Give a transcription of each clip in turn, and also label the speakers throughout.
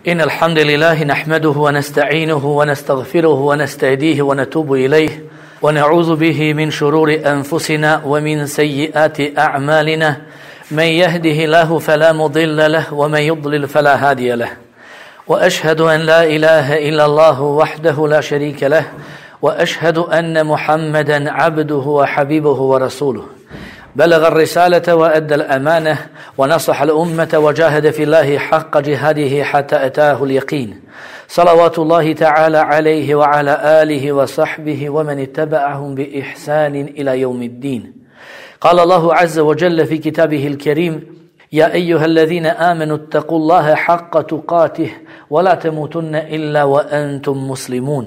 Speaker 1: إن الحمد لله نحمده ونستعينه ونستغفره ونستهديه ونتوب إليه ونعوذ به من شرور أنفسنا ومن سيئات أعمالنا من يهده الله فلا مضل له ومن يضلل فلا هادي له وأشهد أن لا إله إلا الله وحده لا شريك له وأشهد أن محمدا عبده وحبيبه ورسوله بلغ الرسالة وأدى الأمانة ونصح الأمة وجاهد في الله حق جهاده حتى أتاه اليقين صلوات الله تعالى عليه وعلى آله وصحبه ومن اتبعهم بإحسان إلى يوم الدين. قال الله عز وجل في كتابه الكريم: يا أيها الذين آمنوا اتقوا الله حق تقاته ولا تموتن إلا وأنتم مسلمون.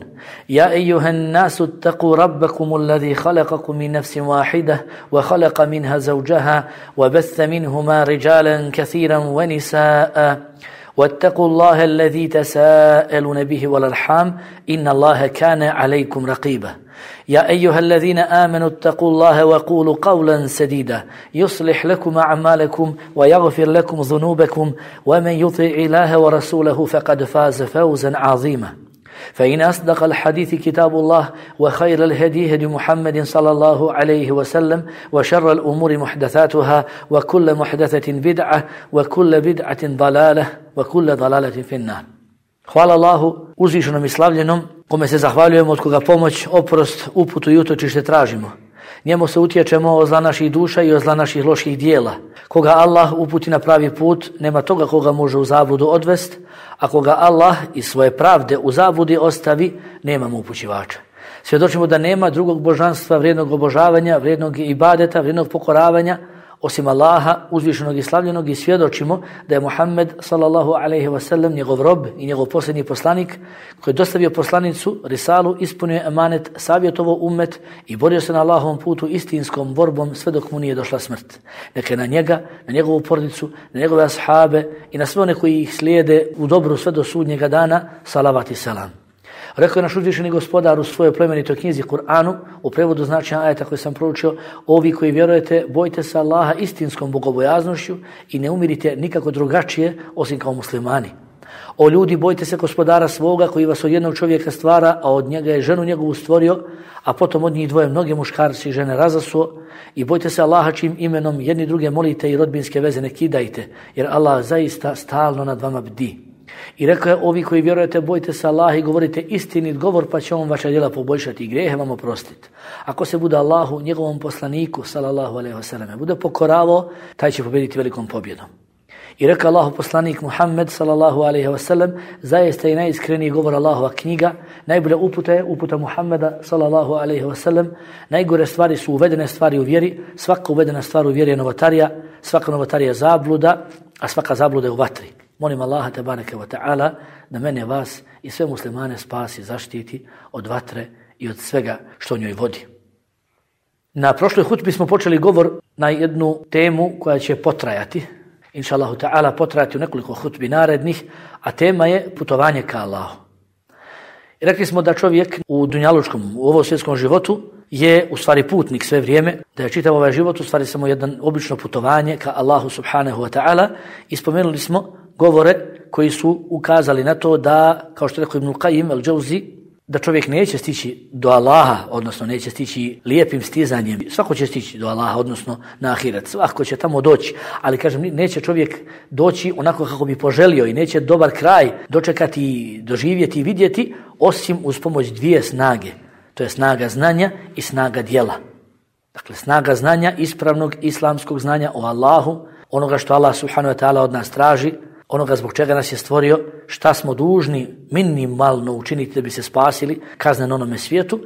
Speaker 1: يا أيها الناس اتقوا ربكم الذي خلقكم من نفس واحدة وخلق منها زوجها وبث منهما رجالا كثيرا ونساء واتقوا الله الذي تساءلون به والأرحام إن الله كان عليكم رقيبا. يا أيها الذين آمنوا اتقوا الله وقولوا قولا سديدا يصلح لكم أعمالكم ويغفر لكم ذنوبكم ومن يطع الله ورسوله فقد فاز فوزا عظيما. فإن أصدق الحديث كتاب الله وخير الهدي هدي محمد صلى الله عليه وسلم وشر الأمور محدثاتها وكل محدثة بدعة وكل بدعة ضلالة وكل ضلالة في النار. Hvala Allahu uzvišenom i slavljenom, kome se zahvaljujemo, od koga pomoć, oprost, uputu i utočište tražimo. Njemu se utječemo od zla naših duša i od zla naših loših dijela. Koga Allah uputi na pravi put, nema toga koga može u zabludu odvest, a koga Allah iz svoje pravde u zabludi ostavi, nemamo upućivača. Svjedočimo da nema drugog božanstva, vrijednog obožavanja, vrijednog ibadeta, vrijednog pokoravanja, osim Allaha, uzvišenog i slavljenog, i svjedočimo da je Muhammed sallallahu alejhi ve sellem njegov rob i njegov posljednji poslanik, koji je dostavio poslanicu, risalu, ispunio emanet, savjetovao ummet i borio se na Allahovom putu istinskom borbom sve dok mu nije došla smrt. Neka je na njega, na njegovu porodicu, na njegove ashabe i na sve one koji ih slijede u dobru sve do sudnjega dana, salavat i selam. Rekao je naš uzvišeni gospodar u svojoj plemenitoj knjizi Kur'anu, u prevodu značenja ajeta koji sam proučio: ovi koji vjerujete, bojte se Allaha istinskom bogobojaznošću i ne umirite nikako drugačije osim kao muslimani. O ljudi, bojte se gospodara svoga koji vas od jednog čovjeka stvara, a od njega je ženu njegovu stvorio, a potom od njih dvoje mnoge muškarci i žene razasuo. I bojte se Allaha čim imenom jedni druge molite i rodbinske veze ne kidajte, jer Allah zaista stalno nad vama bdi. I rekao je: ovi koji vjerujete, bojte se Allaha i govorite istinit govor, pa će on vaša djela poboljšati i grijehe vam oprostiti. Ako se bude Allahu, njegovom poslaniku sallallahu alejhi ve selleme, bude pokoravao, taj će pobjediti velikom pobjedom. I rekao Allahu poslanik Muhammed sallallahu alejhi ve sellem: zaista je najiskreniji govor Allahova knjiga, najbolja uputa je uputa Muhammeda sallallahu alejhi ve sellem. Najgore stvari su uvedene stvari u vjeri, svaka uvedena stvar u vjeri je novotarija, svaka novotarija je zabluda, a svaka zabluda je u vatri. Molim Allaha tebareke ve ta'ala da mene, vas i sve muslimane spasi, zaštiti od vatre i od svega što njoj vodi. Na prošloj hutbi smo počeli govor na jednu temu koja će potrajati, inša Allahu ta'ala potrajati u nekoliko hutbi narednih, a tema je putovanje ka Allahu. I rekli smo da čovjek u dunjalučkom, u ovom svjetskom životu je u stvari putnik sve vrijeme, da je čitav ovaj život u stvari samo jedan obično putovanje ka Allahu subhanahu wa ta'ala, i spomenuli smo govore koji su ukazali na to da, kao što je rekao Ibn Qayyim al-Jawzi, da čovjek neće stići do Allaha, odnosno neće stići lijepim stizanjem. Svako će stići do Allaha, odnosno na ahiret. Svako će tamo doći, ali kažem, neće čovjek doći onako kako bi poželio i neće dobar kraj dočekati, doživjeti i vidjeti, osim uz pomoć dvije snage. To je snaga znanja i snaga djela. Dakle, snaga znanja, ispravnog islamskog znanja o Allahu, onoga što Allah subhanahu wa ta'ala od nas traži, onoga zbog čega nas je stvorio, šta smo dužni minimalno učiniti da bi se spasili kazne na onome svijetu.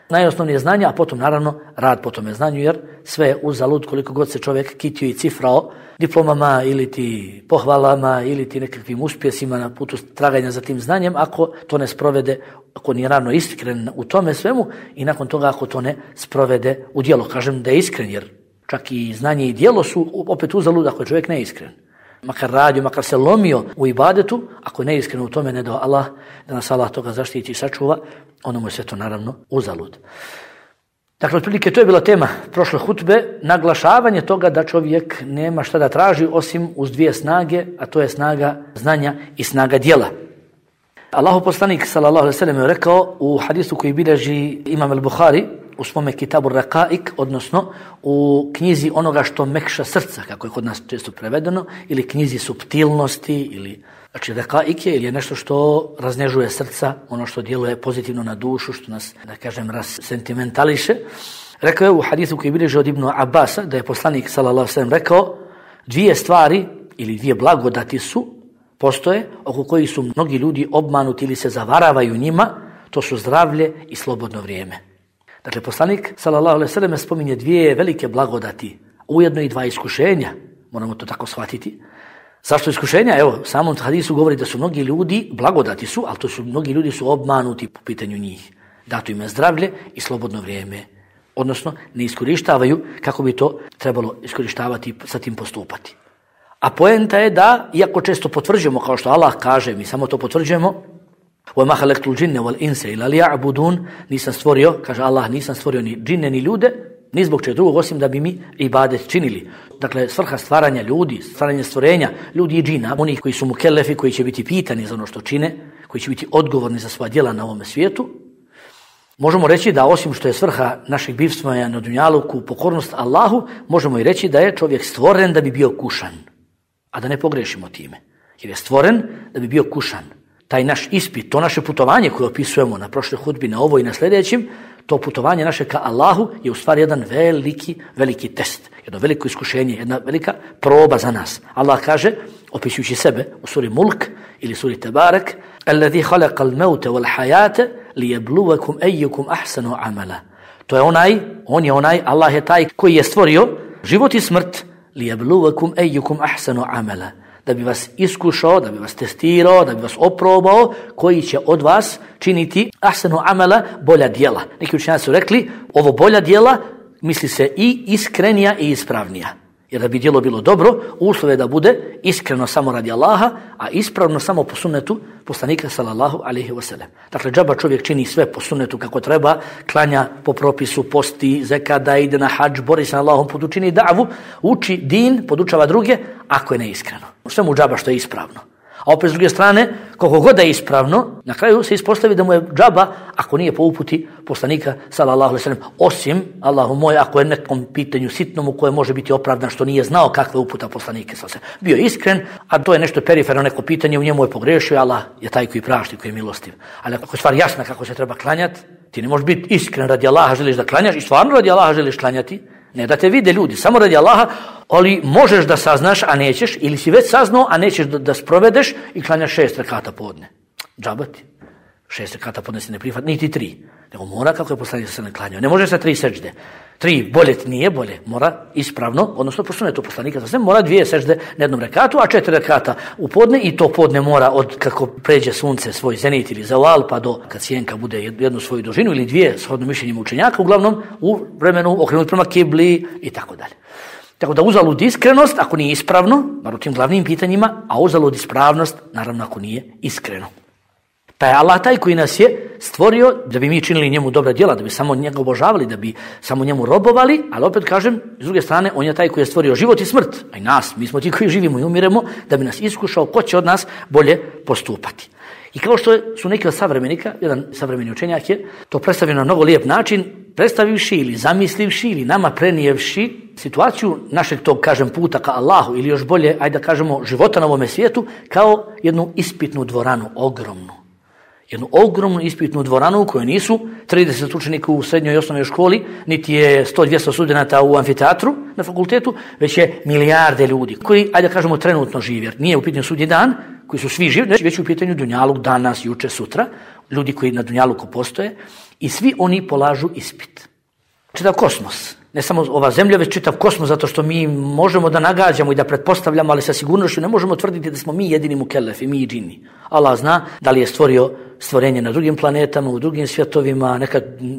Speaker 1: Najosnovnije znanje, a potom naravno rad po tome znanju, jer sve je uzalud koliko god se čovjek kitio i cifrao diplomama ili ti pohvalama ili ti nekakvim uspjesima na putu traganja za tim znanjem, ako to ne sprovede, ako nije ravno iskren u tome svemu, i nakon toga ako to ne sprovede u djelo. Kažem da je iskren, jer čak i znanje i djelo su opet uzalud ako je čovjek neiskren. Makar radio, makar se lomio u ibadetu, ako je neiskren u tome, ne dao Allah, da nas Allah toga zaštiti i sačuva, ono mu je sve to naravno uzalud. Dakle, otprilike to je bila tema prošle hutbe, naglašavanje toga da čovjek nema šta da traži osim uz dvije snage, a to je snaga znanja i snaga djela. Allahov poslanik sallallahu alejhi ve sellem je rekao u hadisu koji bilježi Imam al-Buhari u svome Kitabu Raqaik, odnosno u knjizi onoga što mekša srca, kako je kod nas često prevedeno, ili knjizi suptilnosti, ili znači Raqaik je nešto što raznežuje srca, ono što djeluje pozitivno na dušu, što nas, da kažem, sentimentališe. Rekao je u hadisu koji bilježi od Ibnu Abasa da je poslanik sallallahu alejhi ve sellem rekao dvije stvari ili dvije blagodati postoje oko kojih su mnogi ljudi obmanuti ili se zavaravaju njima, to su zdravlje i slobodno vrijeme. Dakle, poslanik sallallahu alejhi ve sellem spominje dvije velike blagodati, ujedno i dva iskušenja, moramo to tako shvatiti. Zašto iskušenja? Evo, u samom hadisu govori da su mnogi ljudi, blagodati su, ali mnogi ljudi su obmanuti po pitanju njih. Dato im je zdravlje i slobodno vrijeme, odnosno ne iskorištavaju kako bi to trebalo iskorištavati, sa tim postupati. A poenta je da, iako često potvrđujemo, kao što Allah kaže, mi samo to potvrđujemo, وَمَا خَلَقْتُ الْجِنَّ وَالْإِنسَ إِلَّا لِيَعْبُدُونَ, nisam stvorio, kaže Allah, nisam stvorio ni džine ni ljude, ni zbog čega drugog osim da bi mi ibadet činili. Dakle, svrha stvaranja ljudi, stvaranje stvorenja ljudi i džina, onih koji su mukellefi, koji će biti pitani za ono što čine, koji će biti odgovorni za svoja djela na ovome svijetu, možemo reći da osim što je svrha našeg bivstvovanja na dunjaluku pokornost Allahu, možemo i reći da je čovjek stvoren da bi bio kušan, a da ne pogrešimo time. Jer je stvoren da bi bio kušan. Taj naš ispit, to naše putovanje koje opisujemo na prošloj hudbi, na ovo i na sljedećim, to putovanje naše ka Allahu je u stvari jedan veliki test, jedno veliko iskušenje, jedna velika proba za nas. Allah kaže, opisujući sebe u suri Mulk ili suri Tebarek, الَّذِي خَلَقَ الْمَوْتَ وَالْحَيَاةَ لِيَبْلُوَكُمْ أَيُّكُمْ أَحْسَنُ عَمَلًا. To je on je onaj, Allah je taj koji je stvorio život i smrt, لِيَبْلُوَكُمْ أَيُّكُمْ أَحْسَنُ عَمَلًا, da bi vas iskušao, da bi vas testirao, da bi vas oprobao, koji će od vas činiti ahsanu amala, bolja djela. Neki učenjaci su rekli, ovo bolja djela misli se i iskrenija i ispravnija. Jer da bi djelo bilo dobro, uslov je da bude iskreno samo radi Allaha, a ispravno samo po sunnetu poslanika sallallahu alejhi ve sellem. Dakle, džaba čovjek čini sve po sunnetu kako treba, klanja po propisu, posti, zekada, ide na hadž, bori se na Allahom putu, čini davu, uči din, podučava druge, ako je neiskreno. Sve mu džaba što je ispravno. A opet s druge strane, koliko god je ispravno, na kraju se ispostavi da mu je džaba ako nije po uputi poslanika sallallahu alejhi ve sellem, osim, Allahu moj, ako je nekom pitanju sitnom u kojem može biti opravdan što nije znao kakva uputa poslanike sallallahu alejhi ve sellem. Bio je iskren, a to je nešto periferno, neko pitanje, u njemu je pogrešio, Allah je taj koji prašta, koji je milostiv. Ali ako je stvar jasna kako se treba klanjati, ti ne možeš biti iskren radi Allaha, želiš da klanjaš i stvarno radi Allaha želiš klanjati, ne da te vide ljudi, samo radi Allaha, ali možeš da saznaš, a nećeš, ili si već saznao, a nećeš da sprovedeš i klanjaš 6 rekata podne. Džabati. 6 rekata podne se ne prihvat, niti 3. Nego mora kako je poslanik se ne klanjao. Ne može sa 3 sežde. 3 bolje nije bolje. Mora ispravno, odnosno po sunnetu poslanika se mora 2 sežde na jednom rekatu, a 4 rekata u podne i to podne mora od kako pređe sunce svoj zenit ili zaval pa do kad sjenka bude jednu svoju dužinu ili 2 shodno mišljenjem učenjaka, uglavnom u vremenu okrenut prema kibli i tako dalje. Tako da uzalud iskrenost ako nije ispravno, bar u tim glavnim pitanjima, a uzalud ispravnost naravno ako nije iskreno. Pa je Allah taj koji nas je stvorio da bi mi činili njemu dobra djela, da bi samo njega obožavali, da bi samo njemu robovali, ali opet kažem, s druge strane, on je taj koji je stvorio život i smrt, a i nas, mi smo ti koji živimo i umiremo, da bi nas iskušao ko će od nas bolje postupati. I kao što su neki od savremenika, jedan savremeni učenjak je to predstavio na mnogo lijep način, predstavivši ili zamislivši ili nama prenijevši situaciju našeg tog, kažem, puta ka Allahu ili još bolje, ajde da kažemo, života na ovome svijetu kao jednu ispitnu dvoranu, ogromnu. Jednu ogromnu ispitnu dvoranu u kojoj nisu 30 učenika u srednjoj i osnovnoj školi, niti je 100-200 studenata u amfiteatru na fakultetu, već je milijarde ljudi koji, ajde da kažemo, trenutno žive. Jer nije u pitanju sudnji dan, koji su svi živi, već u pitanju dunjaluk danas, juče, sutra, ljudi koji na dunjaluku postoje i svi oni polažu ispit. Čitav kosmos, ne samo ova zemlja, već čitav kosmos, zato što mi možemo da nagađamo i da pretpostavljamo, ali sa sigurnošću ne možemo tvrditi da smo mi jedini mukellefi, mi i džini. Allah zna da li je stvorio stvorenje na drugim planetama, u drugim svjetovima,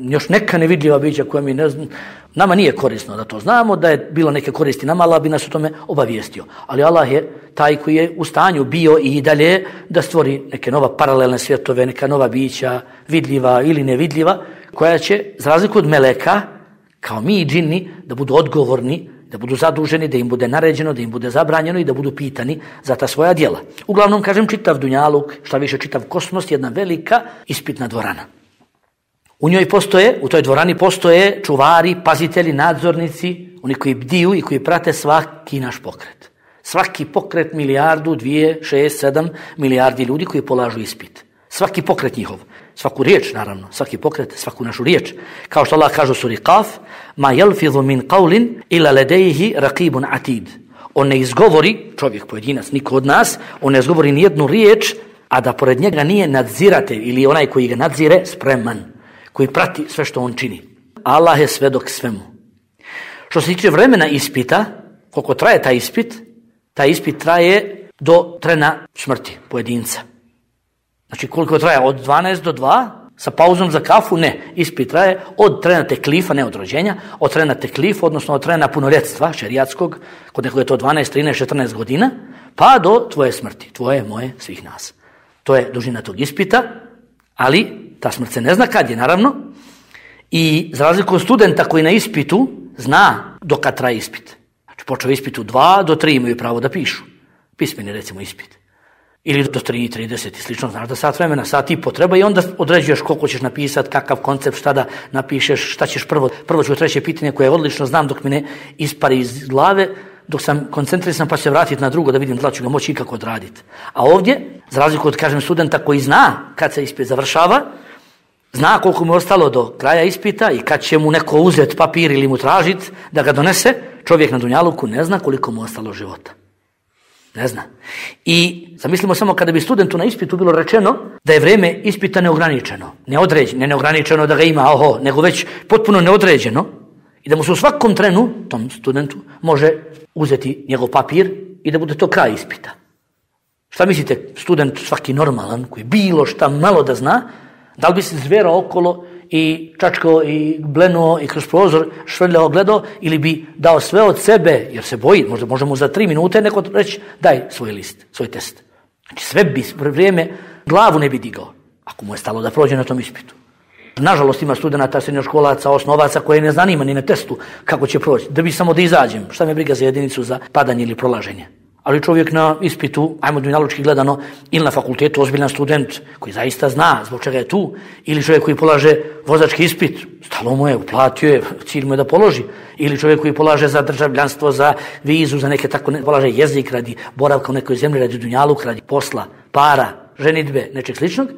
Speaker 1: još neka nevidljiva bića koja mi ne znam. Nama nije korisno da to znamo, da je bilo neke koristi nama, Allah bi nas o tome obavijestio. Ali Allah je taj koji je u stanju bio i dalje da stvori neke nova paralelne svjetove, neka nova bića, vidljiva ili nevidljiva, koja će, za razliku od meleka, kao mi džini, da budu odgovorni, da budu zaduženi, da im bude naređeno, da im bude zabranjeno i da budu pitani za ta svoja djela. Uglavnom, kažem, čitav dunjaluk, šta više čitav kosmos, jedna velika ispitna dvorana. U toj dvorani postoje čuvari, pazitelji, nadzornici, oni koji bdiju i koji prate svaki naš pokret. Svaki pokret 1, 2, 6, 7 milijardi ljudi koji polažu ispit. Svaki pokret njihov, svaku riječ naravno, svaki pokret, svaku našu riječ. Kao što Allah kaže u suri Qaf, ma yalfidhu min qawlin illa ladayhi raqibun atid. On ne izgovori, čovjek, pojedinac, niko od nas, on ne izgovori ni jednu riječ, a da pored njega nije nadziratelj ili onaj koji ga nadzire spreman, koji prati sve što on čini. Allah je svedok svemu. Što se tiče vremena ispita, koliko traje taj ispit traje do trena smrti pojedinca. Znači koliko traje? Od 12 do 2, sa pauzom za kafu? Ne. Ispit traje od trena teklifa, ne od rođenja, od trena teklifa, odnosno od trena punoljetstva šerijatskog, kod nekog je to 12, 13, 14 godina, pa do tvoje smrti, tvoje, moje, svih nas. To je dužina tog ispita, ali ta smrt se ne zna kad je, naravno, i za razliku od studenta koji na ispitu zna do kad traje ispit. Znači počeo ispit u 2 do 3 imaju pravo da pišu. Pismeni recimo ispit. Ili do 3:30 i slično, znaš da sat vremena, sat i po treba i onda određuješ koliko ćeš napisati, kakav koncept, šta da napišeš, šta ćeš prvo. Prvo ću treće pitanje koje odlično znam dok mi ne ispari iz glave, dok sam koncentrisan pa ću se vratiti na drugo da vidim da ću ga moći ikako odraditi. A ovdje, za razliku od, kažem, studenta koji zna kad se ispit završava, zna koliko mu je ostalo do kraja ispita i kad će mu neko uzeti papir ili mu tražiti da ga donese, čovjek na dunjaluku ne zna koliko mu je ostalo života. Ne zna. I zamislimo samo kada bi studentu na ispitu bilo rečeno da je vrijeme ispita neograničeno, neodređeno, neograničeno da ga ima, nego već potpuno neodređeno i da mu se u svakom trenu, tom studentu, može uzeti njegov papir i da bude to kraj ispita. Šta mislite, student svaki normalan koji bilo šta malo da zna, da li bi se zverao okolo i čačkao i blenuo i kroz prozor švrljao gledao ili bi dao sve od sebe jer se boji, možda mu za 3 minute neko reći daj svoj list, svoj test. Znači sve bi vrijeme glavu ne bi digao ako mu je stalo da prođe na tom ispitu. Nažalost ima studenata, srednjoškolaca, osnovaca koje ne zanima ni na testu kako će proći, da bi samo da izađem, šta me briga za jedinicu za padanje ili prolaženje. Ali čovjek na ispitu, ajmo dunjalučki gledano, ili na fakultetu ozbiljan student koji zaista zna zbog čega je tu, ili čovjek koji polaže vozački ispit, stalo mu je, uplatio je, cilj mu je da položi, ili čovjek koji polaže za državljanstvo, za vizu, za neke tako, polaže jezik radi boravka u nekoj zemlji, radi dunjaluk, radi posla, para, ženidbe, nečeg sličnog,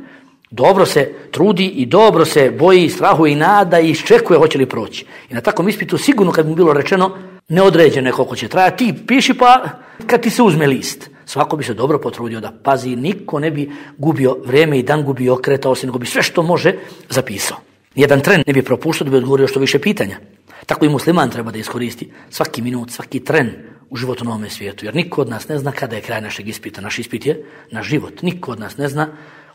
Speaker 1: dobro se trudi i dobro se boji, strahuje i nada i iščekuje hoće li proći. I na takvom ispitu sigurno kad mu bilo rečeno neodređeno je koliko će trajati, ti piši pa kad ti se uzme list. Svako bi se dobro potrudio da pazi, niko ne bi gubio vrijeme i dan gubio okretao se, nego bi sve što može zapisao. Nijedan tren ne bi propuštao da bi odgovorio što više pitanja. Tako i musliman treba da iskoristi svaki minut, svaki tren u životu na ovome svijetu, jer niko od nas ne zna kada je kraj našeg ispita. Naš ispit je naš život. Niko od nas ne zna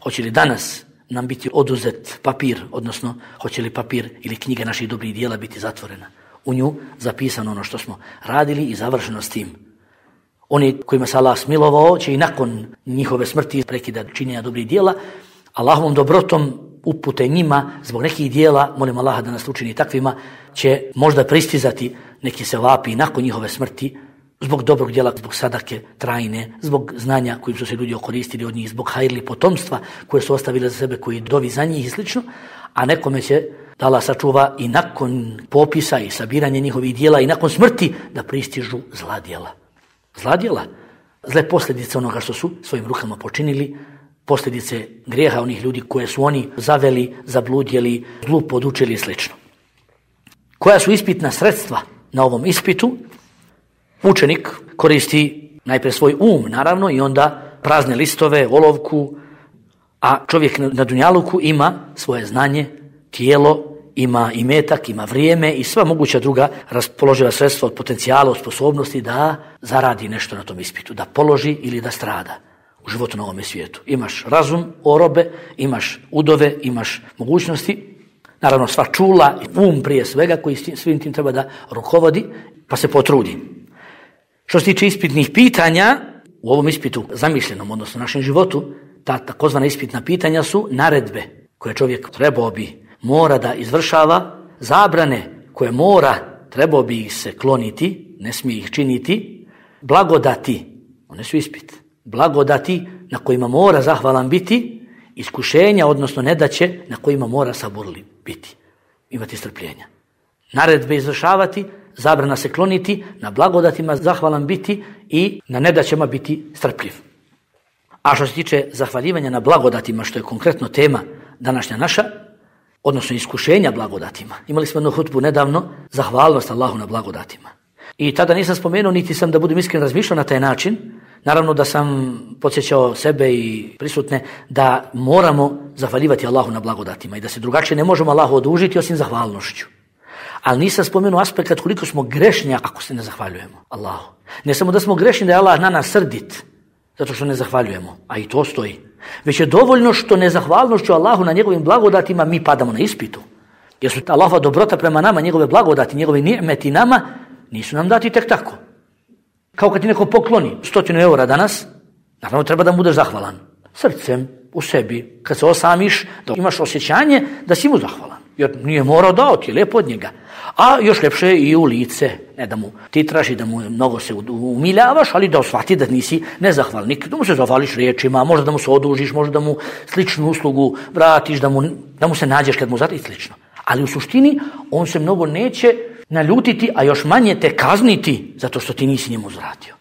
Speaker 1: hoće li danas nam biti oduzet papir, odnosno hoće li papir ili knjiga naših dobrih dijela biti zatvorena. U nju zapisano ono što smo radili i završeno s tim. Oni kojima se Allah smilovao će i nakon njihove smrti prekida činjenja dobrih dijela, Allahovom dobrotom upute njima zbog nekih dijela, molim Allaha da nas učini takvima, će možda pristizati neki sevapi nakon njihove smrti zbog dobrog djela, zbog sadake trajne, zbog znanja kojim su se ljudi okoristili od njih, zbog hajrli potomstva koje su ostavili za sebe, koji dovi za njih i slično, a nekome će da Allah sačuva i nakon popisa i sabiranja njihovih dijela i nakon smrti da pristižu zla djela. Zla djela, zle posljedice onoga što su svojim rukama počinili, posljedice grijeha onih ljudi koje su oni zaveli, zabludjeli, zlu podučili i slično. Koja su ispitna sredstva na ovom ispitu? Učenik koristi najprije svoj naravno, i onda prazne listove, olovku, a čovjek na dunjaluku ima svoje znanje, tijelo, ima imetak, ima vrijeme i sva moguća druga raspoloživa sredstva od potencijala, od sposobnosti da zaradi nešto na tom ispitu, da položi ili da strada u životu na ovome svijetu. Imaš razum, orobe, imaš udove, imaš mogućnosti, naravno sva čula, prije svega koji svim tim treba da rukovodi, pa se potrudi. Što se tiče ispitnih pitanja, u ovom ispitu zamišljenom, odnosno našem životu, ta takozvana ispitna pitanja su naredbe koje čovjek trebao bi, mora da izvršava, zabrane koje trebao bi ih se kloniti, ne smije ih činiti, blagodati, one su ispit, blagodati na kojima mora zahvalan biti, iskušenja, odnosno nedaće, na kojima mora saburli biti, imati strpljenja. Naredbe izvršavati, zabrana se kloniti, na blagodatima zahvalan biti i na nedaćama biti strpljiv. A što se tiče zahvaljivanja na blagodatima, što je konkretno tema današnja naša, odnosno iskušenja blagodatima. Imali smo jednu hutbu nedavno, zahvalnost Allahu na blagodatima. I tada nisam spomenuo, niti sam, da budem iskren, razmišljao na taj način. Naravno da sam podsjećao sebe i prisutne da moramo zahvaljivati Allahu na blagodatima i da se drugačije ne možemo Allahu odužiti osim zahvalnošću. Ali nisam spomenuo aspekt koliko smo grešni ako se ne zahvaljujemo Allahu. Ne samo da smo grešni da je Allah na nas srdit zato što ne zahvaljujemo, a i to stoji. Već je dovoljno što nezahvalnošću Allahu na njegovim blagodatima mi padamo na ispitu. Jer su Allahova dobrota prema nama, njegove blagodati, njegove ni'meti nama, nisu nam dati tek tako. Kao kad ti neko pokloni 100 eura danas, naravno treba da mu budeš zahvalan. Srcem, u sebi, kad se osamiš, da imaš osjećanje da si mu zahvalan. Jer nije morao dao ti, je lijepo od njega. A još ljepše i u lice, ne da mu ti traži da mu mnogo se umiljavaš, ali da shvati da nisi nezahvalnik, da mu se zahvališ riječima, možda da mu se odužiš, možda da mu sličnu uslugu vratiš, da mu se nađeš kad mu zati i slično. Ali u suštini on se mnogo neće naljutiti, a još manje te kazniti zato što ti nisi njemu uzvratio.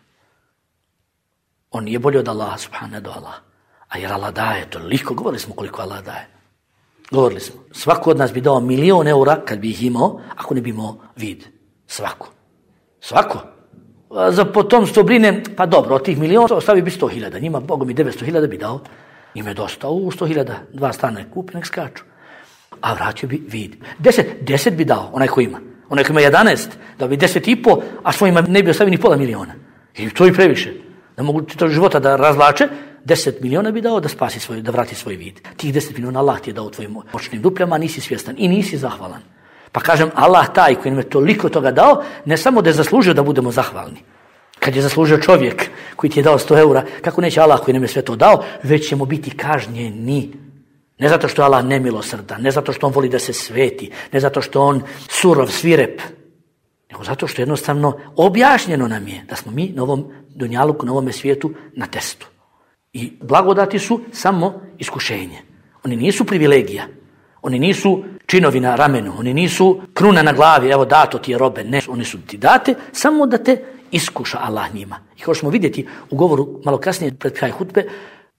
Speaker 1: On nije bolji od Allaha, subhanahu do Allah. A jer Allah daje toliko, govorili smo koliko Allah daje. Govorili smo, svako od nas bi dao 1.000.000 eura kad bi ih imao, ako ne bi imao vid. Svako. Za potomstvo brine, pa dobro, od tih 1.000.000 ostavi bi 100.000, njima Bogom i 900.000 bi dao. Njima je dosta, 100.000, 2 stana je kupi, nek skaču. A vratio bi vid. 10 bi dao, onaj ko ima. Onaj ko ima 11, da bi 10,5, a svojima ne bi ostavio ni $500.000. I to i previše. Da mogu to života da razvlače, 10 miliona bi dao da spasi svoj, da vrati svoj vid. Tih 10 miliona Allah ti je dao tvojim moćnim dupljama, nisi svjestan i nisi zahvalan. Pa kažem, Allah taj koji nam je toliko toga dao, ne samo da je zaslužio da budemo zahvalni. Kad je zaslužio čovjek koji ti je dao 100 eura, kako neće Allah koji nam je sve to dao, već ćemo biti kažnjeni. Ne zato što je Allah nemilosrdan, ne zato što on voli da se sveti, ne zato što on surov, svirep, nego zato što jednostavno objašnjeno nam je da smo mi na ovom dunjaluku, na ovome svijetu na testu. I blagodati su samo iskušenje. Oni nisu privilegija, oni nisu činovi na ramenu, oni nisu kruna na glavi, evo dato ti je robe, ne, oni su ti date, samo da te iskuša Allah njima. I kao što smo vidjeti u govoru malo kasnije pred kraj hutbe,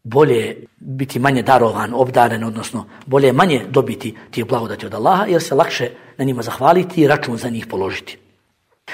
Speaker 1: bolje je biti manje darovan, obdaren, odnosno bolje je manje dobiti tih blagodati od Allaha, jer se lakše na njima zahvaliti i račun za njih položiti.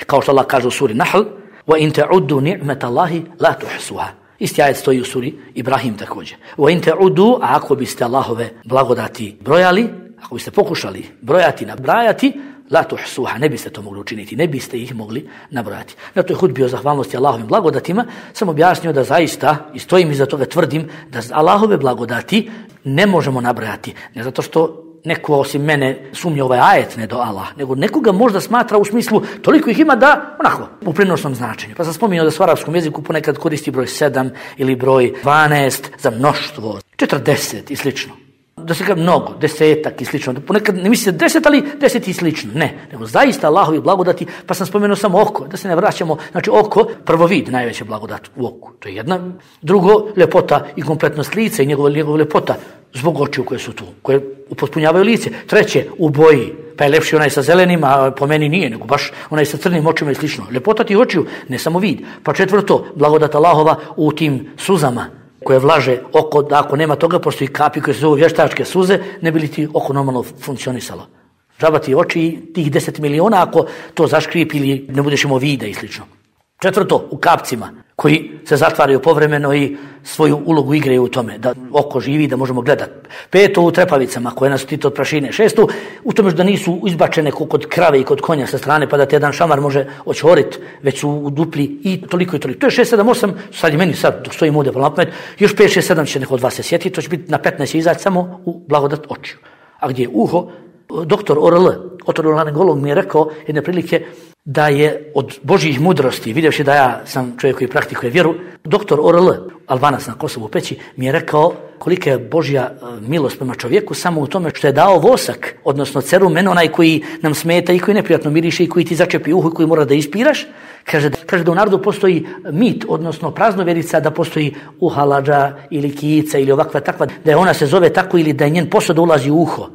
Speaker 1: Kao što Allah kaže u suri Nahl, وَإِن تَعُدُّوا نِعْمَةَ اللَّهِ لَا تُحْسُوهَا. Isti ajet stoji u suri Ibrahim također. وَإِن تَعُدُّوا, a ako biste Allahove blagodati brojali, ako biste pokušali brojati, nabrajati, la tuhsuha, ne biste to mogli učiniti, ne biste ih mogli nabrojati. Zato je hudbi o zahvalnosti Allahovim blagodatima sam objasnio da zaista, i stojim iza toga, tvrdim da Allahove blagodati ne možemo nabrojati. Ne zato što neko osim mene sumnja ovaj ajet, ne do Allah, nego nekoga možda smatra u smislu toliko ih ima da, onako, u prenosnom značenju. Pa sam spominjao da se u arapskom jeziku ponekad koristi broj 7 ili broj 12 za mnoštvo, 40 i slično. Da se kaže mnogo, 10 i slično. Ponekad ne misli 10, ali 10 i slično. Ne, nego zaista Allahovi blagodati, pa sam spomenuo samo oko, da se ne vraćamo. Znači oko, prvo vid, najveća blagodat u oku. To je jedna. Drugo, ljepota i kompletnost lica i njegova ljepota zbog očiju koje su tu, koje upotpunjavaju lice. Treće, u boji, pa je lepši onaj sa zelenim, a po meni nije, nego baš onaj sa crnim očima i slično. Ljepota tih očiju, ne samo vid. Pa četvrto, blagodat Allahova u tim suzama koje vlaže oko, da ako nema toga, postoji kapi koje se zovu vještačke suze, ne bi li ti oko normalno funkcionisalo. Džaba ti oči i tih 10 miliona ako to zaškripi ili ne budeš imao vida i slično. Četvrto, u kapcima koji se zatvaraju povremeno i svoju ulogu igraju u tome, da oko živi, da možemo gledati. Peto, u trepavicama koje nas štite od prašine. Šesto, u tome da nisu izbačene kod krave i kod konja sa strane, pa da te jedan šamar može očoriti, već su u dupli i toliko i toliko. To je 6, 7, 8, sad je meni sad, dok stojim ovdje pa na pamet, još 5, 6, 7 će neko od vas se sjetiti, to će biti na 15 izaći samo u blagodat očiju. A gdje je uho, doktor ORL, otorolaringolog mi je rekao jedne prilike, da je od Božjih mudrosti, vidjevši da ja sam čovjek koji praktikuje vjeru, doktor ORL, Albanac na Kosovu Peći, mi je rekao kolika je Božja milost prema čovjeku samo u tome što je dao vosak, odnosno cerumen, onaj koji nam smeta i koji neprijatno miriše i koji ti začepi uho i koji mora da ispiraš. Kaže da u narodu postoji mit, odnosno praznovjerica da postoji uhalađa ili kica ili ovakva takva, da je ona se zove tako ili da je njen posao da ulazi u uho.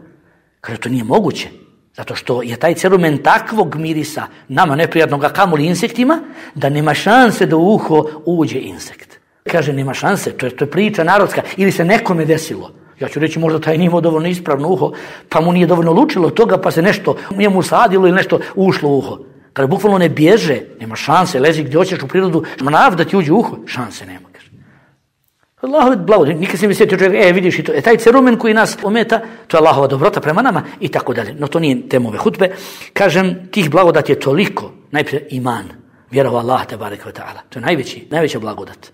Speaker 1: Kaže to nije moguće. Zato što je taj cerumen takvog mirisa nama neprijatnog, a kamoli insektima, da nema šanse da u uho uđe insekt. Kaže nema šanse, to je priča narodska, ili se nekome desilo. Ja ću reći možda taj nije imao dovoljno ispravno uho, pa mu nije dovoljno lučilo od toga, pa se nešto njemu sadilo ili nešto ušlo u uho. Kada bukvalno ne bježe, nema šanse, lezi gdje hoćeš u prirodu, manav da ti uđe u uho, šanse nema. Allahove blagodati, nikad se mi sjetio čovjek, vidiš i to, taj cerumen koji nas ometa, to je Allahova dobrota prema nama i tako dalje. No to nije tema ove hutbe. Kažem, tih blagodati je toliko, najprije iman, vjera u Allaha tebareke ve taala. To je najveća blagodat.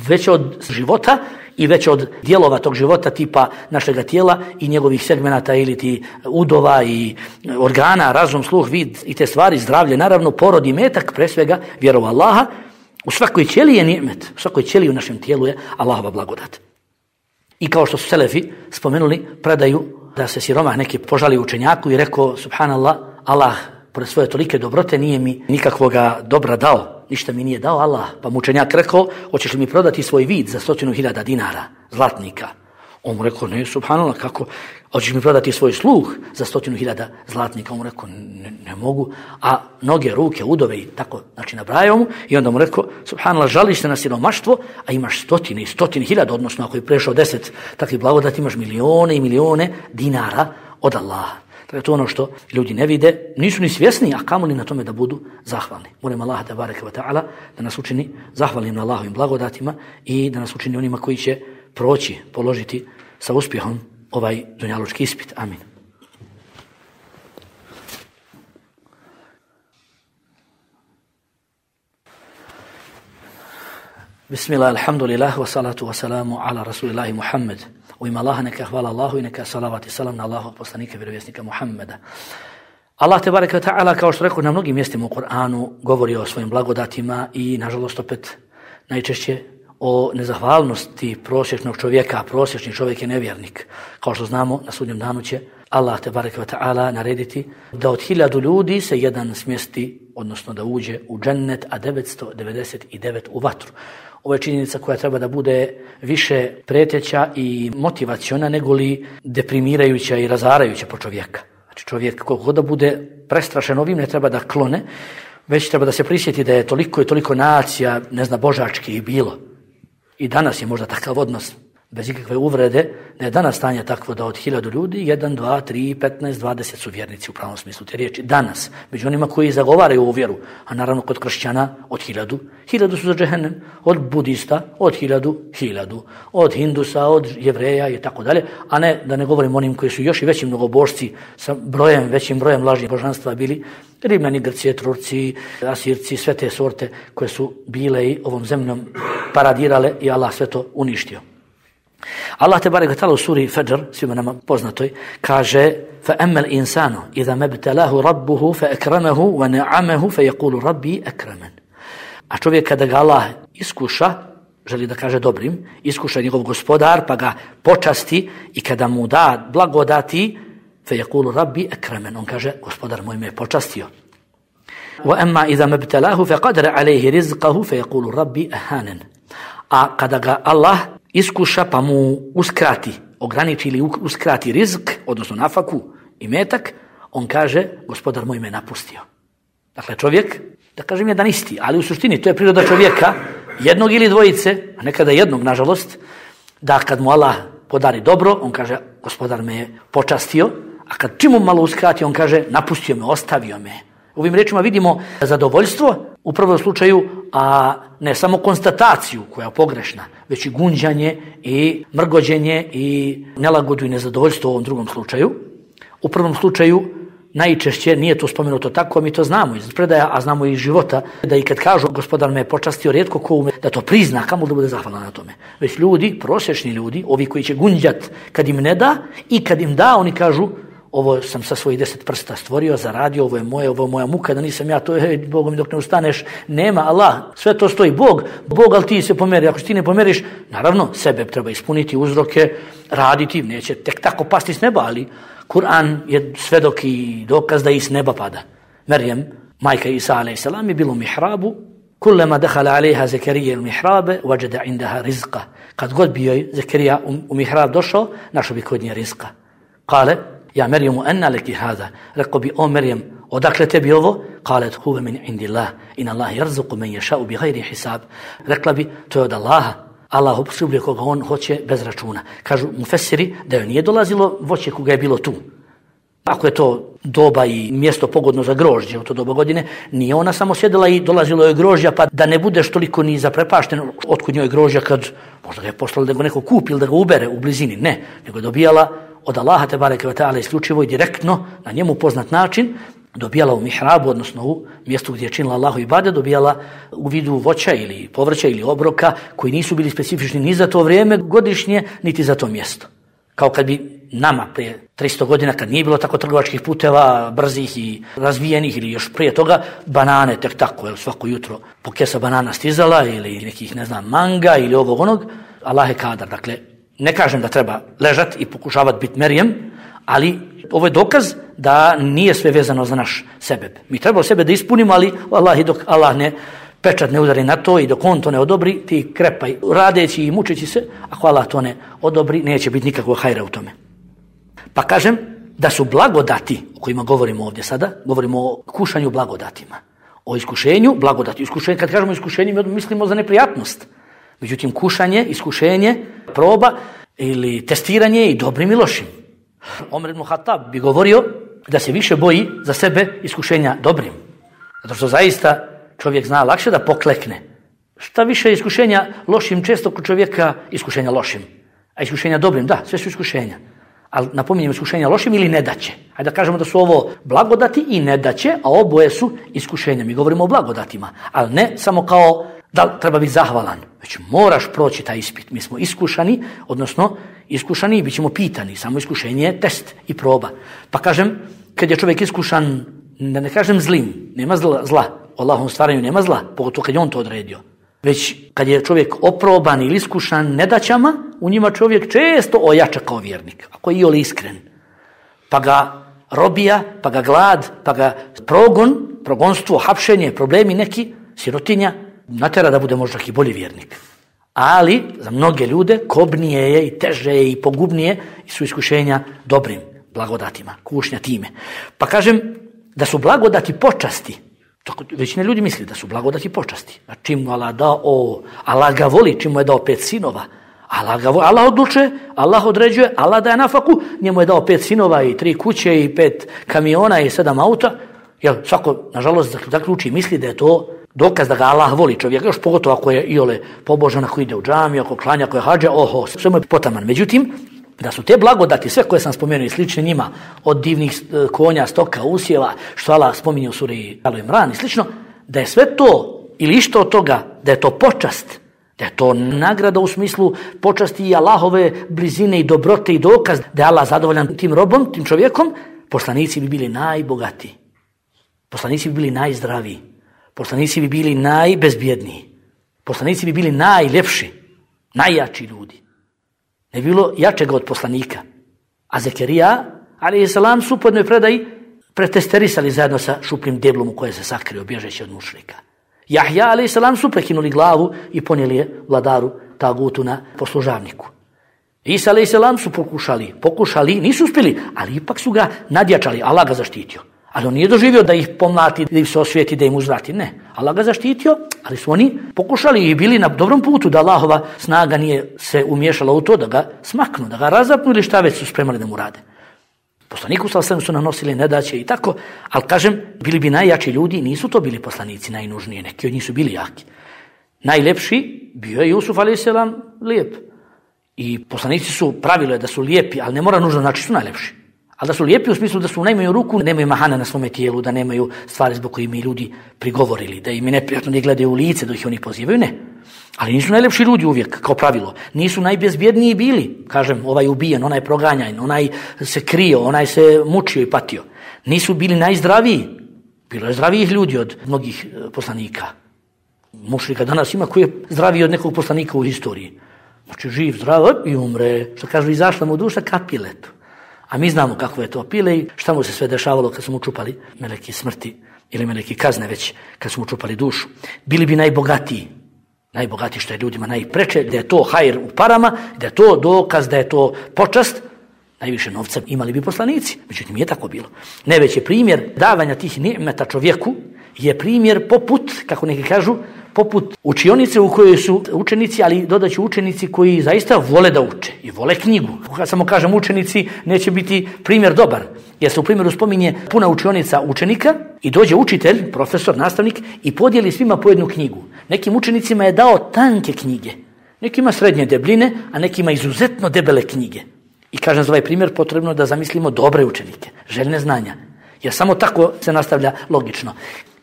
Speaker 1: Veća od života i veća od dijelova tog života tipa našega tijela i njegovih segmenata ili ti udova i organa, razum, sluh, vid i te stvari, zdravlje, naravno, porod i metak, pre svega vjera u Allaha. U svakoj ćeliji je ni'met, u svakoj ćeliji u našem tijelu je Allahova blagodat. I kao što su selefi spomenuli, predaju da se siromah neki požali učenjaku i rekao, subhanallah, Allah pored svoje tolike dobrote nije mi nikakvoga dobra dao, ništa mi nije dao Allah. Pa mu učenjak rekao, hoćeš li mi prodati svoj vid za 100.000 dinara, zlatnika? On mu rekao, ne, subhanallah, kako? Hoćeš mi prodati svoj sluh za 100.000 zlatnika? On mu rekao, ne mogu. A noge, ruke, udove i tako, znači nabrajao mu. I onda mu rekao, subhanallah, žališ se na siromaštvo, a imaš 100.000, odnosno ako je prešao 10 takvih blagodati, imaš milijone i milijone dinara od Allaha. Dakle, to je ono što ljudi ne vide, nisu ni svjesni, a kamoli na tome da budu zahvalni. Molim Allaha tebareke ve taala da nas učini zahvalnim na Allahovim blagodatima i da nas učini onima koji će proći, položiti sa uspjehom ovaj dunjalučki ispit. Amin. Bismillah, alhamdulillah, wa salatu wa salamu ala rasulillahi Muhammed. U ime Allaha neka hvala Allahu i neka salavat i salam na Allahog poslanika, vjerovjesnika Muhammeda. Allah tebareke ve taala, kao što rekao na mnogim mjestima u Kur'anu, govori o svojim blagodatima i nažalost opet najčešće o nezahvalnosti prosječnog čovjeka, a prosječni čovjek je nevjernik. Kao što znamo, na sudnjem danu će Allah tebareke ve taala narediti da od 1000 ljudi se jedan smjesti, odnosno da uđe u džennet, a 999 u vatru. Ovo je činjenica koja treba da bude više preteća i motivaciona nego li deprimirajuća i razarajuća po čovjeka. Znači čovjek koliko da bude prestrašen ovim ne treba da klone, već treba da se prisjeti da je toliko i toliko nacija, ne zna, božački i bilo. I danas je možda takav odnos, bez ikakve uvrede, da je danas stanje takvo da od 1000 ljudi, 1, 2, 3, 15, 20 su vjernici u pravom smislu te riječi. Danas, među onima koji zagovaraju ovu vjeru, a naravno kod kršćana od 1000, 1000 su za džehennem, od budista od 1000, od hindusa, od jevreja i tako dalje, a ne da ne govorim onim koji su još i veći mnogobožci sa većim brojem lažnih božanstva bili, Rimljani, Grci, Turci, Asirci, sve te sorte koje su bile i ovom zemljom paradirale i Allah sve to uništio. Allah tebareke ve taala u suri Fajr, svima nama poznatoj, kaže: "Fa amma al-insanu idha mabtalahu rabbuhu fa akramahu wa na'amahu fa yaqulu rabbi akraman." A čovjek kada ga Allah iskuša, želi da kaže dobrim, iskuša njegov gospodar pa ga počasti i kada mu da blagodati, fa yaqulu rabbi akraman, on kaže gospodar moj me je počastio. Wa amma idha mabtalahu fa qadara alayhi rizqahu fa yaqulu rabbi ahanan. A kada ga Allah iskuša pa mu uskrati, ograniči ili uskrati rizk, odnosno nafaku i metak, on kaže, gospodar moj me napustio. Dakle, čovjek, da kažem jedan isti, ali u suštini to je priroda čovjeka, jednog ili dvojice, a nekada jednog, nažalost, da kad mu Allah podari dobro, on kaže, gospodar me je počastio, a kad čim mu malo uskrati, on kaže, napustio me, ostavio me. Ovim rečima vidimo zadovoljstvo u prvom slučaju, a ne samo konstataciju koja je pogrešna, već i gunđanje i mrgođenje i nelagodu i nezadovoljstvo u ovom drugom slučaju. U prvom slučaju najčešće nije to spomenuto tako, mi to znamo iz predaja, a znamo i iz života, da i kad kažu gospodar me je počastio, rijetko ko ume da to prizna, kamo da bude zahvalan na tome. Već ljudi, prosječni ljudi, ovi koji će gunđat kad im ne da i kad im da, oni kažu ovo sam sa svojih 10 prsta stvorio, zaradio, ovo je moja muka, da nisam ja to, Bogom dok ne ustaneš, nema Allah, sve to stoji Bog, ali ti se pomeri, ako ti ne pomeriš, naravno, sebe treba ispuniti uzroke, raditi, neće tek tako pasti s neba, ali Kur'an je svedok i dokaz da i s neba pada. Merjem, majka Isa a.s. je bilo u mihrabu, kullama dakhala alejha Zekerija u mihrabe, wajada indaha rizqa. Kad god bio je Zekerija u mihrab došao, našao bi kod nje rizqa. Kale, ja Merjemu, anna leki hada. Rekao bi, o Merjem, odakle tebi ovo? Kalet, huve min indillah, in Allah yarzuqu men yasha'u bi ghairi hisab. Rekla bi, to je od Allaha. Allah opskrbljuje koga on hoće bez računa. Kažu mufesiri da joj nije dolazilo voće koga je bilo tu. Ako je to doba i mjesto pogodno za grožđe u to doba godine, nije ona samo sjedila i dolazilo je grožđa, pa da ne budeš toliko ni zaprepašten otkud njoj grožđa kad možda ga je poslalo da ga neko kupi ili da ga ubere u blizini. Ne, nego je dobijala od Allaha tebareke ve taala isključivo i direktno na njemu poznat način, dobijala u mihrabu, odnosno u mjestu gdje je činila Allahu ibadet, dobijala u vidu voća ili povrća ili obroka koji nisu bili specifični ni za to vrijeme godišnje, niti za to mjesto. Kao kad bi nama prije 300 godina, kad nije bilo tako trgovačkih puteva, brzih i razvijenih ili još prije toga, banane tek tako, svako jutro po kesa banana stizala ili nekih, manga ili ovog onog, Allah je kadar. Dakle, ne kažem da treba ležati i pokušavati biti Merjem, ali ovo je dokaz da nije sve vezano za naš sebeb. Mi trebamo sebe da ispunimo, ali Allah, dok Allah pečat ne udari na to i dok on to ne odobri, ti krepaj radeći i mučeći se, ako Allah to ne odobri, neće biti nikakvog hajra u tome. Pa kažem da su blagodati, o kojima govorimo ovdje sada, govorimo o kušanju blagodatima, o iskušenju blagodati. Iskušenje, kad kažemo iskušenje, mislimo za neprijatnost. Međutim, kušanje, iskušenje, proba ili testiranje i dobrim i lošim. Omer ibn Khattab bi govorio da se više boji za sebe iskušenja dobrim. Zato što zaista čovjek zna lakše da poklekne. Šta više iskušenja lošim, često kod čovjeka iskušenja lošim. A iskušenja dobrim, da, sve su iskušenja. Ali napominjem iskušenja lošim ili nedaće. Hajde da kažemo da su ovo blagodati i nedaće, a oboje su iskušenja. Mi govorimo o blagodatima, ali ne samo kao da treba biti zahvalan, već moraš proći taj ispit. Mi smo iskušani, odnosno iskušani i bit ćemo pitani. Samo iskušenje je test i proba. Pa kažem, kad je čovjek iskušan, ne kažem zlim, nema zla, u Allahovom stvaranju nema zla, pogotovo kad je on to odredio. Već kad je čovjek oproban ili iskušan nedaćama, u njima čovjek često ojača kao vjernik, ako je iole iskren. Pa ga robija, pa ga glad, pa ga progonstvo, hapšenje, problemi neki, sirotinja, natera da bude možda i bolji vjernik. Ali za mnoge ljude kobnije je i teže je i pogubnije su iskušenja dobrim blagodatima, kušnja time. Pa kažem da su blagodati počasti. Većina ljudi misli da su blagodati počasti. A čim mu Allah dao, Allah ga voli, čim mu je dao 5 sinova. Allah odlučuje, Allah određuje, Allah daje nafaku, njemu je dao 5 sinova i 3 kuće i 5 kamiona i 7 auta. Jer svako, nažalost, zaključi misli da je to dokaz da ga Allah voli čovjek, još pogotovo ako je iole pobožan, ako ide u džamiju, ako klanja, ako je hadža, sve mu je potaman. Međutim, da su te blagodati, sve koje sam spomenuo i slične njima, od divnih konja, stoka, usjeva, što Allah spominje u suri Al Imran i slično, da je sve to ili išto od toga, da je to počast, da je to nagrada u smislu počasti i Allahove blizine i dobrote i dokaz da je Allah zadovoljan tim robom, tim čovjekom, poslanici bi bili najbogatiji, poslanici bi bili najzdraviji, poslanici bi bili najbezbjedniji, poslanici bi bili najljepši, najjači ljudi. Ne bilo jačega od poslanika. A Zekerija, a.s. su po jednoj predaji pretesterisali zajedno sa šupljim deblom u koje se sakrio, bježeći od mušrika. Jahja, a.s. su prekinuli glavu i ponijeli je vladaru tagutu na poslužavniku. Isa, a.s. su pokušali, nisu uspjeli, ali ipak su ga nadjačali, Allah ga zaštitio. Ali on nije doživio da ih pomlati, da ih se osvijeti, da im uzvrati. Ne, Allah ga zaštitio, ali su oni pokušali i bili na dobrom putu da Allahova snaga nije se umiješala u to da ga smaknu, da ga razapnu ili šta već su spremali da mu rade. Poslaniku sallallahu su nanosili nedaće i tako, ali kažem, bili bi najjači ljudi, nisu to bili poslanici najnužniji, neki od njih su bili jaki. Najlepši bio je Jusuf a.s. lijep. I poslanici su, pravilo je da su lijepi, ali ne mora nužno znači su najlepši. Ali da su lijepi u smislu da su u najmanju ruku, nemaju mahana na svome tijelu, da nemaju stvari zbog koje im ljudi prigovorili, da im je neprijatno da ih gledaju u lice dok ih oni pozivaju, ne. Ali nisu najlepši ljudi uvijek, kao pravilo. Nisu najbezbjedniji bili. Kažem, ovaj ubijen, onaj proganjan, onaj se krio, onaj se mučio i patio. Nisu bili najzdraviji. Bilo je zdravijih ljudi od mnogih poslanika. Mušrika danas ima koji je zdraviji od nekog poslanika u historiji. Znači živ, zdrav i umre. Što kažu, izašla mu duša ka piletu. A mi znamo kako je to pile i šta mu se sve dešavalo kad su mu čupali meleki smrti ili meleki kazne već kad su mu čupali dušu. Bili bi najbogatiji što je ljudima najpreče, da je to hajr u parama, da je to dokaz, da je to počast. Najviše novca imali bi poslanici, međutim nije tako bilo. Najveći primjer davanja tih ni'meta čovjeku je primjer poput, kako neki kažu, poput učionice u kojoj su učenici, ali dodaću učenici koji zaista vole da uče i vole knjigu. Kad samo kažem učenici, neće biti primjer dobar, jer se u primjeru spominje puna učionica učenika i dođe učitelj, profesor, nastavnik i podijeli svima po jednu knjigu. Nekim učenicima je dao tanke knjige, nekima srednje debljine, a nekima izuzetno debele knjige. I kažem za ovaj primjer potrebno da zamislimo dobre učenike, željne znanja, jer samo tako se nastavlja logično.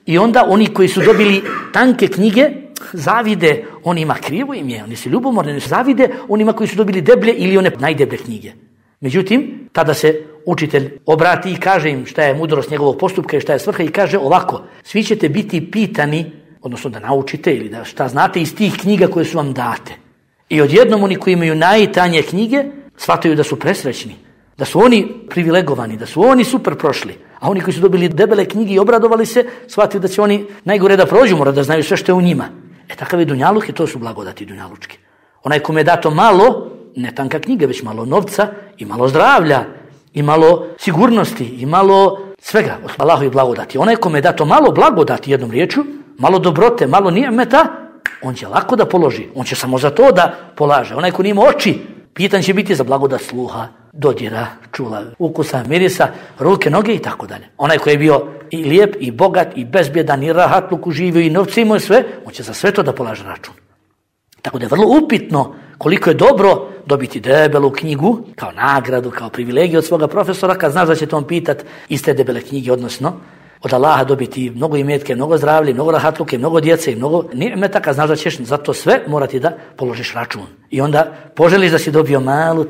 Speaker 1: I onda oni koji su dobili tanke knjige zavide onima, krivo im je, oni su ljubomorni, oni zavide onima koji su dobili deblje ili one najdeblje knjige. Međutim, tada se učitelj obrati i kaže im šta je mudrost njegovog postupka i šta je svrha i kaže ovako, svi ćete biti pitani, odnosno da naučite ili da šta znate iz tih knjiga koje su vam date. I odjednom oni koji imaju najtanje knjige shvataju da su presrećni, da su oni privilegovani, da su oni super prošli. A oni koji su dobili debele knjige i obradovali se, shvatili da će oni najgore da prođu, mora da znaju sve što je u njima. Takav je dunjaluk i to su blagodati dunjalučke. Onaj kome je dato malo, ne tanka knjiga, već malo novca i malo zdravlja i malo sigurnosti i malo svega od Allahovi blagodati. Onaj kome je dato malo blagodati, jednom riječju, malo dobrote, malo nijemeta, on će lako da položi. On će samo za to da polaže. Onaj ko nima oči, pitan će biti za blagodat sluha, dodira, čula, ukusa, mirisa, ruke, noge i tako dalje. Onaj koji je bio i lijep, i bogat, i bezbjedan, i rahatluk uživio, i novci imao sve, on će za sve to da polaže račun. Tako da je vrlo upitno koliko je dobro dobiti debelu knjigu kao nagradu, kao privilegiju od svoga profesora, kad znaš da će to on pitat iz te debele knjige, odnosno od Allaha dobiti mnogo imetke, mnogo zdravlje, mnogo rahatluke, mnogo djece i mnogo ni'meta, kad znaš da ćeš za to sve morati da položiš račun. I onda poželiš da si dobio malu,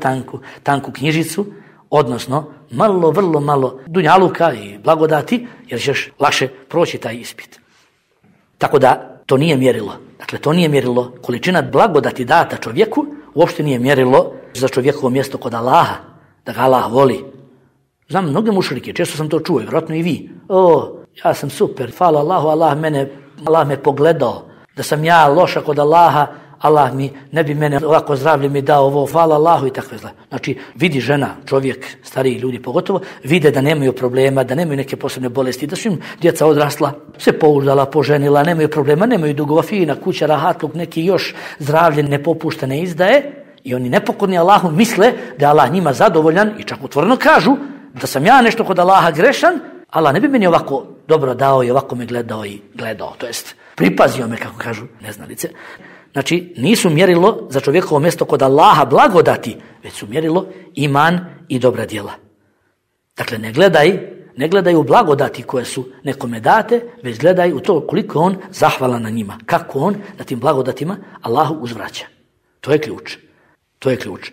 Speaker 1: tanku knjižicu, odnosno vrlo malo dunjaluka i blagodati, jer ćeš lakše proći taj ispit. Tako da to nije mjerilo. Dakle, to nije mjerilo. Količina blagodati data čovjeku uopšte nije mjerilo za čovjekovo mjesto kod Allaha, da ga Allah voli. Znam mnoge mušrike, često sam to čuo, vjerojatno i vi. Ja sam super, hvala Allahu, Allah me pogledao. Da sam ja loša kod Allaha, Allah mi ne bi mene ovako zdravlje mi dao ovo, hvala Allahu i takve zla. Znači, vidi žena, čovjek, stariji ljudi pogotovo, vide da nemaju problema, da nemaju neke posebne bolesti, da su im djeca odrasla, se pouzdala, poženila, nemaju problema, nemaju dugova, fina kuća, rahatluk, neki još zdravlje ne popušta, ne izdaje i oni nepokorni Allahu misle da je Allah njima zadovoljan i čak otvoreno kažu da sam ja nešto kod Allaha grešan, Allah ne bi meni ovako dobro dao i ovako me gledao, to jest pripazio me, kako kažu neznalice. Znači, nisu mjerilo za čovjekovo mjesto kod Allaha blagodati, već su mjerilo iman i dobra djela. Dakle, ne gledaj u blagodati koje su nekome date, već gledaj u to koliko on zahvalan na njima, kako on na tim blagodatima Allahu uzvraća. To je ključ.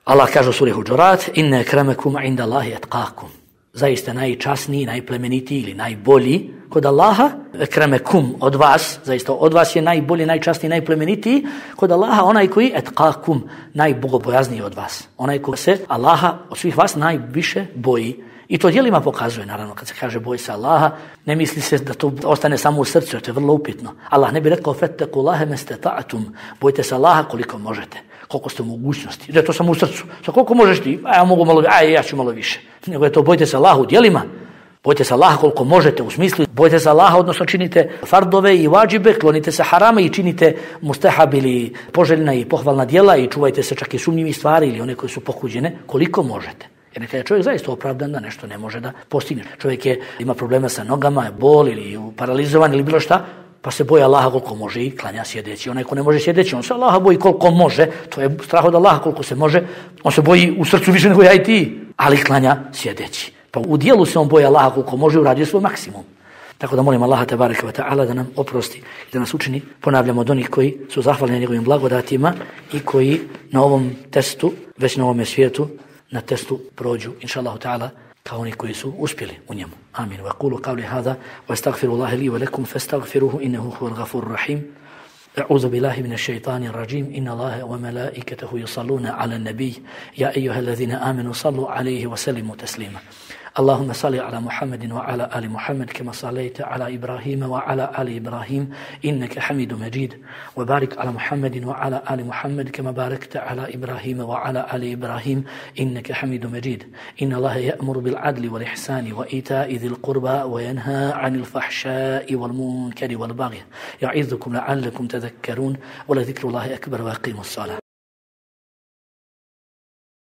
Speaker 1: Allah kaže u suri Huđurat, inne ekremekum inda Allahi etqakum. Zaista najčasniji, najplemenitiji ili najbolji kod Allaha, ekremekum od vas, zaista od vas je najbolji, najčasniji, najplemenitiji kod Allaha, onaj koji etqakum, najbogobojazniji od vas. Onaj koji se Allaha od svih vas najviše boji. I to djelima pokazuje, naravno, kad se kaže boj se Allaha, ne misli se da to ostane samo u srcu, jer to je vrlo upitno. Allah ne bi rekao, fetteku Allahe mestata'atum, bojte se Allaha koliko možete, koliko ste u mogućnosti. Da je to samo u srcu. Sa koliko možeš ti? Ja ću malo više. Nego je to bojte se Allaha u djelima, bojte se Allaha koliko možete, u smislu bojte se Allaha, odnosno činite fardove i vađibe, klonite se harama i činite mustahab ili poželjna i pohvalna djela i čuvajte se čak i sumnjivih stvari ili one koje su pokuđene, koliko možete. Jer nekada je čovjek zaista opravdan da nešto ne može da postigne. Čovjek ima problema sa nogama, je bol ili paralizovan ili bilo šta, pa se boji Allaha koliko može i klanja sjedeći. Onaj ko ne može sjedeći, on se Allaha boji koliko može, to je strah od Allaha koliko se može, on se boji u srcu više nego ja i ti. ali klanja sjedeći. Pa u dijelu se on boji Allaha koliko može, uradio svoj maksimum. Tako da molim Allaha tebareke ve ta'ala da nam oprosti i da nas učini, ponavljamo, od onih koji su zahvalni njegovim blagodatima i koji na ovom testu, već na ovome svijetu, na testu prođu, inša Allahu ta'ala, kao oni koji su uspjeli u njemu. Amin. Wa qulu qawli hadha wa astaghfirullaha li wa lakum fastaghfiruhu innahu huwal ghafurur rahim. أعوذ بالله من الشيطان الرجيم إن الله وملائكته يصلون على النبي يا أيها الذين آمنوا صلوا عليه وسلموا تسليما اللهم صل على محمد وعلى آل محمد كما صليت على إبراهيم وعلى آل إبراهيم إنك حميد مجيد وبارك على محمد وعلى آل محمد كما باركت على إبراهيم وعلى آل إبراهيم إنك حميد مجيد إن الله يأمر بالعدل والإحسان وإيتاء ذي القربى وينهى عن الفحشاء والمنكر والبغي يعظكم لعلكم تذكرون ولذكر الله أكبر وأقيموا الصلاة